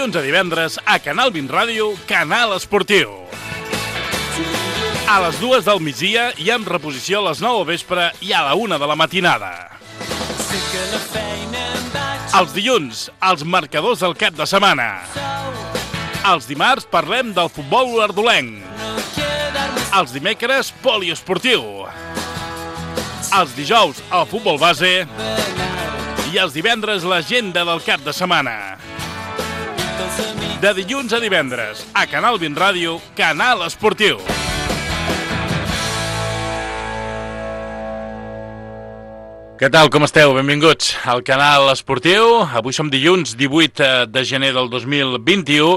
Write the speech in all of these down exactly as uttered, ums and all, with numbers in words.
dilluns a divendres a Canal vint Ràdio, Canal Esportiu. A les dues del migdia i en reposició a les nou del vespre i a la una de la matinada. Els dilluns, els marcadors del cap de setmana. Els dimarts parlem del futbol olordolenc. Els dimecres, poliesportiu. Els dijous, el futbol base. I els divendres, l'agenda del cap de setmana. De dilluns a divendres, a Canal vint Ràdio, Canal Esportiu. Què tal, com esteu? Benvinguts al Canal Esportiu. Avui som dilluns divuit de gener del dos mil vint-i-u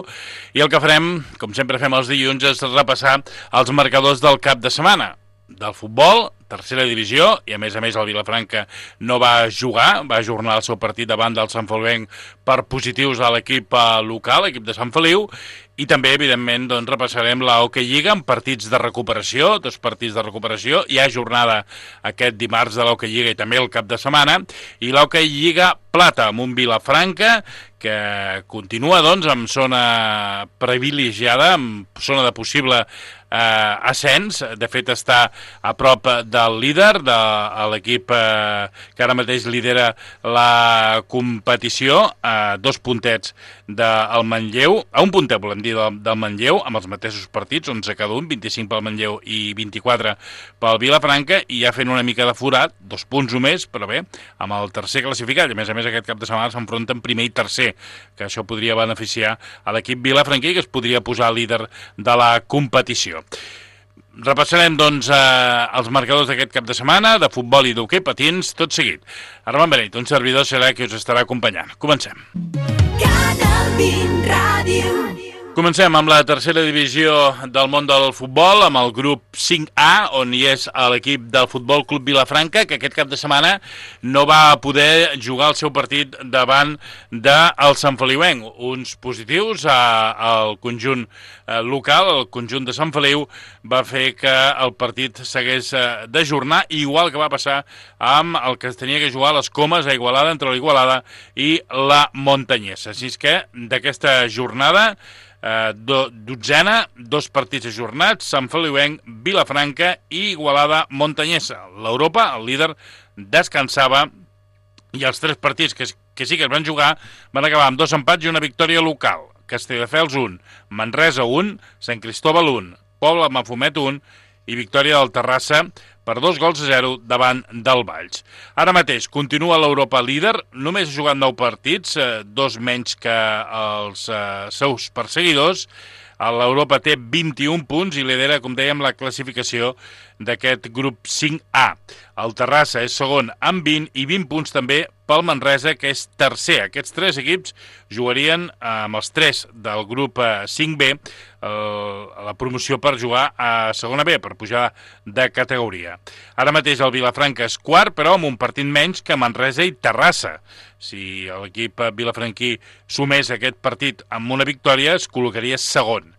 i el que farem, com sempre fem els dilluns, és repassar els marcadors del cap de setmana. Del futbol, tercera divisió, i a més a més el Vilafranca no va jugar, va ajornar el seu partit davant del Sant Feliuenc per positius a l'equip local, l'equip de Sant Feliu, i també, evidentment, doncs, repassarem la Hockey Lliga amb partits de recuperació, dos partits de recuperació, hi ha jornada aquest dimarts de la Hockey Lliga i també el cap de setmana, i la Hockey Lliga Plata amb un Vilafranca que continua, doncs, amb zona privilegiada, amb zona de possible eh, ascens. De fet, està a prop del líder, de l'equip eh, que ara mateix lidera la competició, a dos puntets del Manlleu, a un puntet, volem dir, del, del Manlleu, amb els mateixos partits, onze cada un, vint-i-cinc pel Manlleu i vint-i-quatre pel Vilafranca, i ja fent una mica de forat, dos punts només, però bé, amb el tercer classificat, i a més a més aquest cap de setmana s'enfronten primer i tercer, que això podria beneficiar a l'equip vilafranquí, que es podria posar líder de la competició. Repassarem, doncs, eh, els marcadors d'aquest cap de setmana, de futbol i d'hoquei patins, tot seguit. Armand Beneit, un servidor, serà qui us estarà acompanyant. Comencem. Canal vint Ràdio. Comencem amb la tercera divisió del món del futbol, amb el grup cinc A, on hi és l'equip del Futbol Club Vilafranca, que aquest cap de setmana no va poder jugar el seu partit davant del Sant Feliuenc. Uns positius al conjunt local, el conjunt de Sant Feliu, va fer que el partit s'hagués d'ajornar, igual que va passar amb el que es tenia que jugar a les Comes, a Igualada, entre la Igualada i la Montanyesa. Així que d'aquesta jornada, Eh, do, dotzena, dos partits ajornats, Sant Feliuenc, Vilafranca i Igualada Montanyesa. L'Europa, el líder, descansava i els tres partits que, que sí que es van jugar van acabar amb dos empats i una victòria local. Castelldefels un, Manresa un, Sant Cristóbal un, Pobla Mafumet un i victòria del Terrassa per dos gols a zero davant del Valls. Ara mateix continua l'Europa líder, només ha jugat nou partits, eh, dos menys que els eh, seus perseguidors. L'Europa té vint-i-un punts i lidera, com dèiem, la classificació d'aquest grup cinc A. El Terrassa és segon amb vint i vint punts també pel Manresa, que és tercer. Aquests tres equips jugarien amb els tres del grup cinc B la promoció per jugar a segona B, per pujar de categoria. Ara mateix el Vilafranca és quart, però amb un partit menys que Manresa i Terrassa. Si l'equip vilafranquí sumés aquest partit amb una victòria, es col·locaria segon.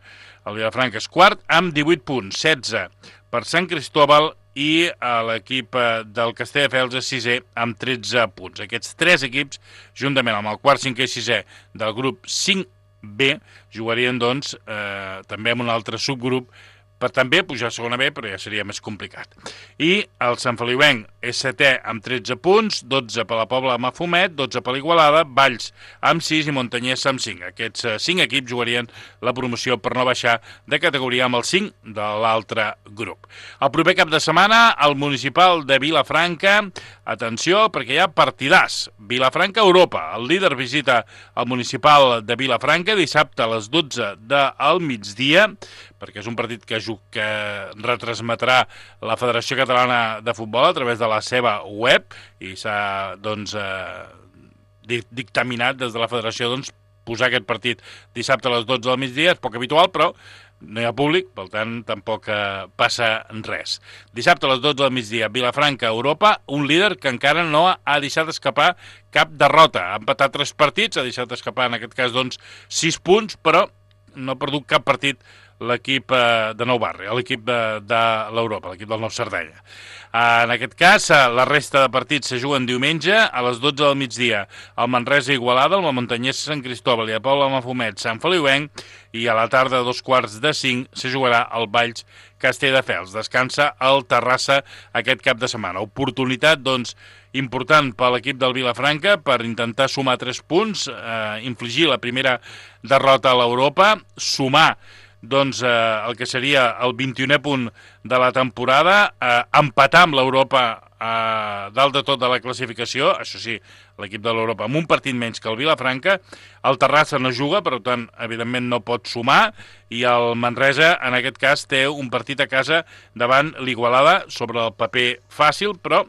El Vilafranca és quart amb divuit punts, setze per Sant Cristóbal, i l'equip del Castelldefels és sisè amb tretze punts. Aquests tres equips, juntament amb el quart, cinquè i sisè del grup cinc B, jugarien, doncs, eh, també amb un altre subgrup per també pujar a segona B, però ja seria més complicat. I el Sant Feliuenc és setè amb tretze punts, dotze per la Pobla de Mafumet, dotze per l'Igualada, Valls amb sis i Montanyesa amb cinc. Aquests cinc equips jugarien la promoció per no baixar de categoria amb el cinc de l'altre grup. El proper cap de setmana, el municipal de Vilafranca, atenció, perquè hi ha partidars. Vilafranca Europa, el líder visita el municipal de Vilafranca dissabte a les dotze del migdia, perquè és un partit que, que retransmetrà la Federació Catalana de Futbol a través de la seva web i s'ha, doncs, eh, dictaminat des de la Federació, doncs, posar aquest partit dissabte a les dotze del migdia. És poc habitual, però no hi ha públic, per tant, tampoc eh, passa res. Dissabte a les dotze del migdia, Vilafranca, Europa, un líder que encara no ha deixat escapar cap derrota. Ha empatat tres partits, ha deixat escapar, en aquest cas, doncs, sis punts, però no ha perdut cap partit l'equip de Nou Barri, l'equip de, de l'Europa, l'equip del Nou Sardenya. En aquest cas, la resta de partits se juguen diumenge a les dotze del migdia al Manresa Igualada, al Montanyès Sant Cristòbal i a Poble Mafumet Sant Feliuenc, i a la tarda a dos quarts de cinc se jugarà al Valls Castelldefels. Descansa el Terrassa aquest cap de setmana. Oportunitat, doncs, important per l'equip del Vilafranca per intentar sumar tres punts, eh, infligir la primera derrota a l'Europa, sumar doncs, eh, el que seria el vint-i-unè punt de la temporada, eh, empatar amb l'Europa eh, dalt de tot de la classificació, això sí, l'equip de l'Europa amb un partit menys que el Vilafranca. El Terrassa no juga, per tant, evidentment no pot sumar, i el Manresa, en aquest cas, té un partit a casa davant l'Igualada, sobre el paper fàcil, però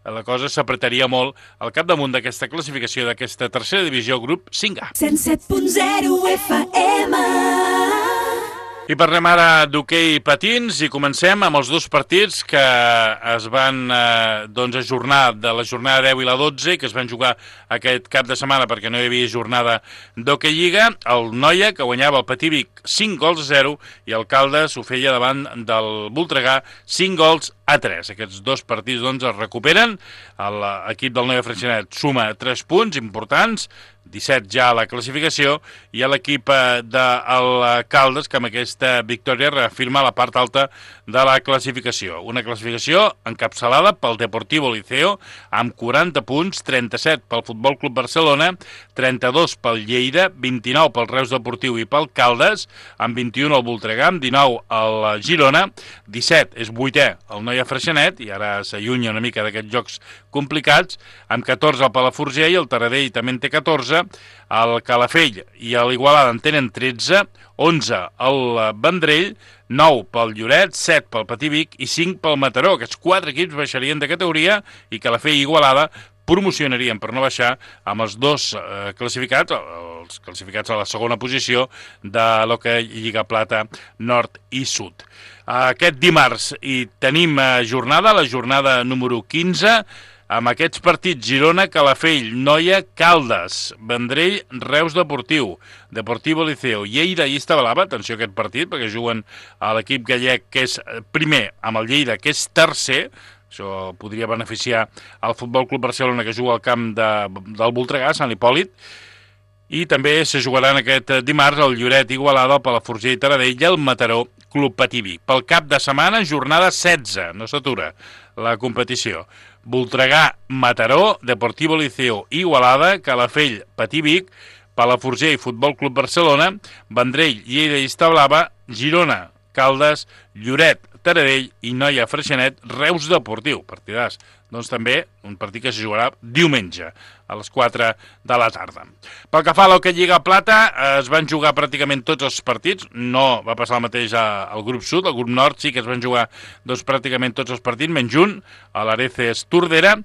la cosa s'apretaria molt al capdamunt d'aquesta classificació d'aquesta tercera divisió, grup cinc A. cent set punt zero F M. I parlem ara d'hoquei patins i comencem amb els dos partits que es van eh, doncs, ajornar de la jornada deu i la dotze, que es van jugar aquest cap de setmana perquè no hi havia jornada d'hoquei lliga. El Noia, que guanyava el Patí Vic cinc gols a zero, i el Caldes ho feia davant del Voltregà cinc gols a tres. Aquests dos partits doncs, es recuperen. L'equip del Noia Freixenet suma tres punts importants, disset ja a la classificació, i a l'equip del Caldes, que amb aquesta victòria reafirma la part alta de la classificació. Una classificació encapçalada pel Deportivo Liceo, amb quaranta punts, trenta-set pel Futbol Club Barcelona, trenta-dos pel Lleida, vint-i-nou pel Reus Deportiu i pel Caldes, amb vint-i-un el Voltregà, amb dinou el Girona, disset és vuitè el Noia Freixenet, i ara s'allunya una mica d'aquests jocs complicats, amb catorze el Palafrugell, el Taradell també en té catorze, el Calafell i l'Igualada en tenen tretze, onze el Vendrell, nou pel Lloret, set pel Patí Vic i cinc pel Mataró. Aquests quatre equips baixarien de categoria i Calafell i Igualada promocionarien per no baixar amb els dos eh, classificats, els classificats a la segona posició de l'hoquei Lliga Plata Nord i Sud. Aquest dimarts hi tenim jornada, la jornada número quinze, amb aquests partits: Girona, Calafell, Noia, Caldes, Vendrell, Reus Deportiu, Deportivo Liceo, Lleida i Estabalava. Atenció a aquest partit, perquè juguen a l'equip gallec, que és primer, amb el Lleida, que és tercer. Això podria beneficiar el Futbol Club Barcelona, que juga al camp de, del Voltregà, Sant Hipòlit. I també se jugaran aquest dimarts el Lloret Igualada, el Palafrugell i Taradell i el Mataró Club Patí Vic. Pel cap de setmana, jornada setze, no s'atura la competició. Voltregà, Mataró, Deportivo Liceo, Igualada, Calafell, Patí Vic, Palafrugell, Futbol Club Barcelona, Vendrell, Lleida i Establava, Girona, Caldes, Lloret, Taradell i Noia Freixenet, Reus Deportiu. Partidàs. Doncs també un partit que se jugarà diumenge a les quatre de la tarda. Pel que fa a l'hoquei Lliga Plata, es van jugar pràcticament tots els partits. No va passar el mateix al grup sud. Al grup nord sí que es van jugar doncs, pràcticament tots els partits, menys un, a l'Areces Tordera.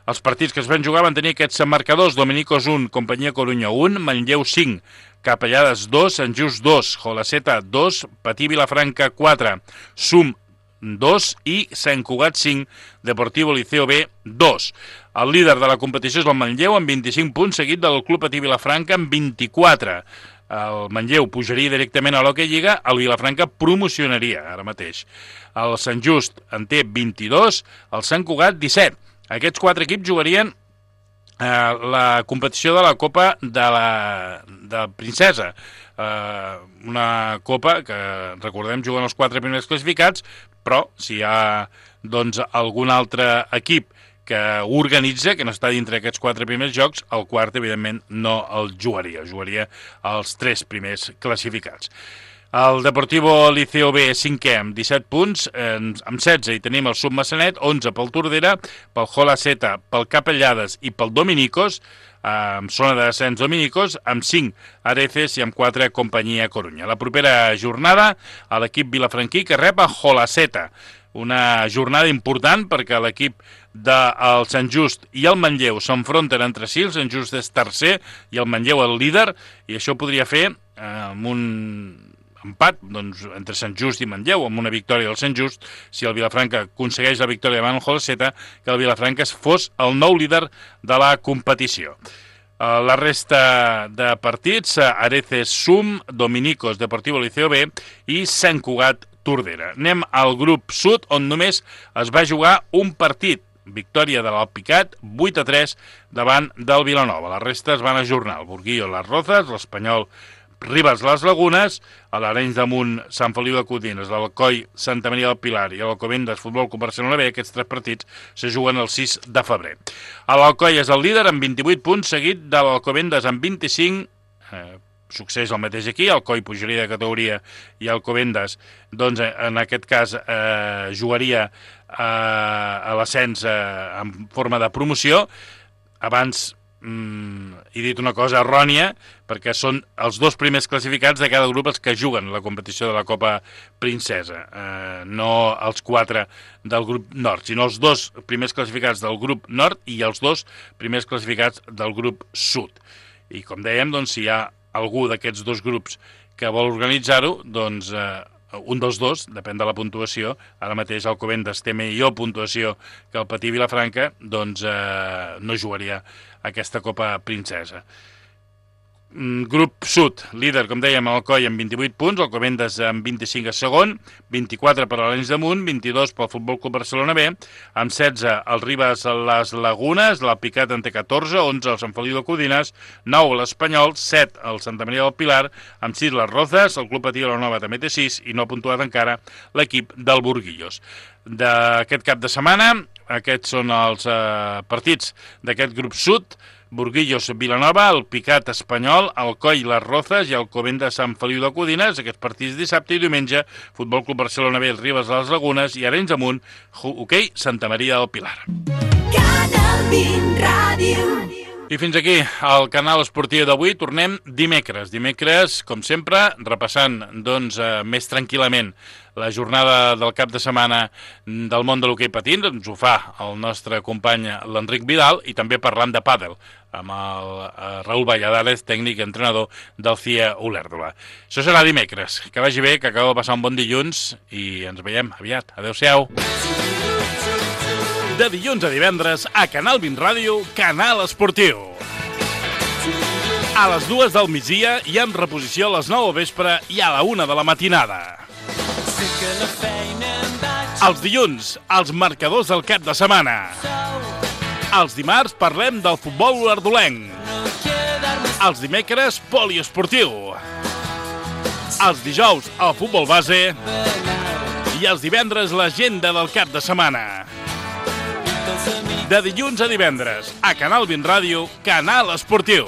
Els partits que es van jugar van tenir aquests marcadors: Dominicos un, Companyia Corunya un, Manlleu cinc, Capellades dos, Sant Just dos, Jolaceta dos, Patí Vilafranca quatre, Sum dos i Sant Cugat cinc, Deportivo Liceo B dos. El líder de la competició és el Manlleu amb vint-i-cinc punts, seguit del Club Patí Vilafranca amb vint-i-quatre. El Manlleu pujaria directament a l'hoquei Lliga, el Vilafranca promocionaria ara mateix. El Sant Just en té vint-i-dos, el Sant Cugat disset. Aquests quatre equips jugarien eh, la competició de la Copa de la de Princesa. Eh, una copa que, recordem, juguen els quatre primers classificats, però si hi ha doncs, algun altre equip que organitza, que no està dintre d'aquests quatre primers jocs, el quart, evidentment, no el jugaria. Jugaria els tres primers classificats. El Deportivo Liceo B cinquè amb disset punts, eh, amb setze hi tenim el Submassanet, onze pel Tordera, pel Jolaceta, pel Capellades i pel Dominicos, amb zona de descens Dominicos, amb cinc Areces i amb quatre Companyia Corunya. La propera jornada a l'equip vilafranquí, que rep a Jolaceta. Una jornada important perquè l'equip del Sant Just i el Manlleu s'enfronten entre si. El Sant Just és tercer i el Manlleu el líder, i això podria fer eh, amb un empat doncs, entre Sant Just i Manlleu, amb una victòria del Sant Just, si el Vilafranca aconsegueix la victòria davant el Jolaceta, que el Vilafranca fos el nou líder de la competició. La resta de partits, Areces Sum, Dominicos, Deportivo Liceo B i Sant Cugat Tordera. Anem al grup sud, on només es va jugar un partit. Victòria de l'Alpicat, vuit a tres, davant del Vilanova. La resta es van ajornar. El Burguillo, les Rozas, l'Espanyol, Ribes, les Lagunes, a l'Arenys de Munt, Sant Feliu de Codines, l'Alcoi, Santa Maria del Pilar i l'Alcobendas, Futbol Club Barcelona B. Aquests tres partits se juguen el sis de febrer. L'Alcoi és el líder amb vint-i-vuit punts, seguit de l'Alcobendas amb vint-i-cinc. Eh, succeeix el mateix aquí, Alcoi pujaria de categoria i Alcobendas, doncs en aquest cas eh, jugaria eh, a l'ascens eh, en forma de promoció. Abans mm, he dit una cosa errònia, perquè són els dos primers classificats de cada grup els que juguen la competició de la Copa Princesa, eh, no els quatre del grup nord, sinó els dos primers classificats del grup nord i els dos primers classificats del grup sud. I com dèiem, doncs, si hi ha algú d'aquests dos grups que vol organitzar-ho, doncs eh, un dels dos, depèn de la puntuació, ara mateix Alcobendas té millor puntuació que el Patí Vilafranca, doncs eh, no jugaria aquesta Copa Princesa. Grup sud, líder, com dèiem, Alcoi amb vint-i-vuit punts, Alcobendas amb vint-i-cinc a segon, vint-i-quatre per l'Arenys de Munt, vint-i-dos pel Futbol Club Barcelona B, amb setze el Ribes les Lagunes, l'Alpicat en té catorze, onze el Sant Feliu de Codines, nou l'Espanyol, set el Santa Maria del Pilar, amb sis les Rozas, el Club Patí Vilanova també té sis i no ha puntuat encara l'equip del Burguillos. D'aquest cap de setmana, aquests són els eh, partits d'aquest grup sud: Burguillos Vilanova, el Picat Espanyol, Alcoi les Rozas i el Alcobendas Sant Feliu de Codines. Aquests partits dissabte i diumenge, Futbol Club Barcelona B, Ribes les Lagunes i Arenys de Munt, hoquei Santa Maria del Pilar. Canal vint Ràdio. I fins aquí el canal esportiu d'avui. Tornem dimecres. Dimecres, com sempre, repassant doncs, eh, més tranquil·lament la jornada del cap de setmana del món de l'hoquei patins. Ens ho fa el nostre company l'Enric Vidal, i també parlant de pàdel amb el eh, Raül Valladares, tècnic i entrenador del C I E Olèrdola. Això serà dimecres. Que vagi bé, que acabeu de passar un bon dilluns i ens veiem aviat. Adéu-siau. De dilluns a divendres, a Canal vint Ràdio, Canal Esportiu. A les dues del migdia i en reposició a les nou al vespre i a la una de la matinada. Els dilluns, els marcadors del cap de setmana. Els dimarts parlem del futbol olèrdolenc. Els dimecres, poliesportiu. Els dijous, el futbol base. I els divendres, l'agenda del cap de setmana. De dilluns a divendres, a Canal vint Ràdio, Canal Esportiu.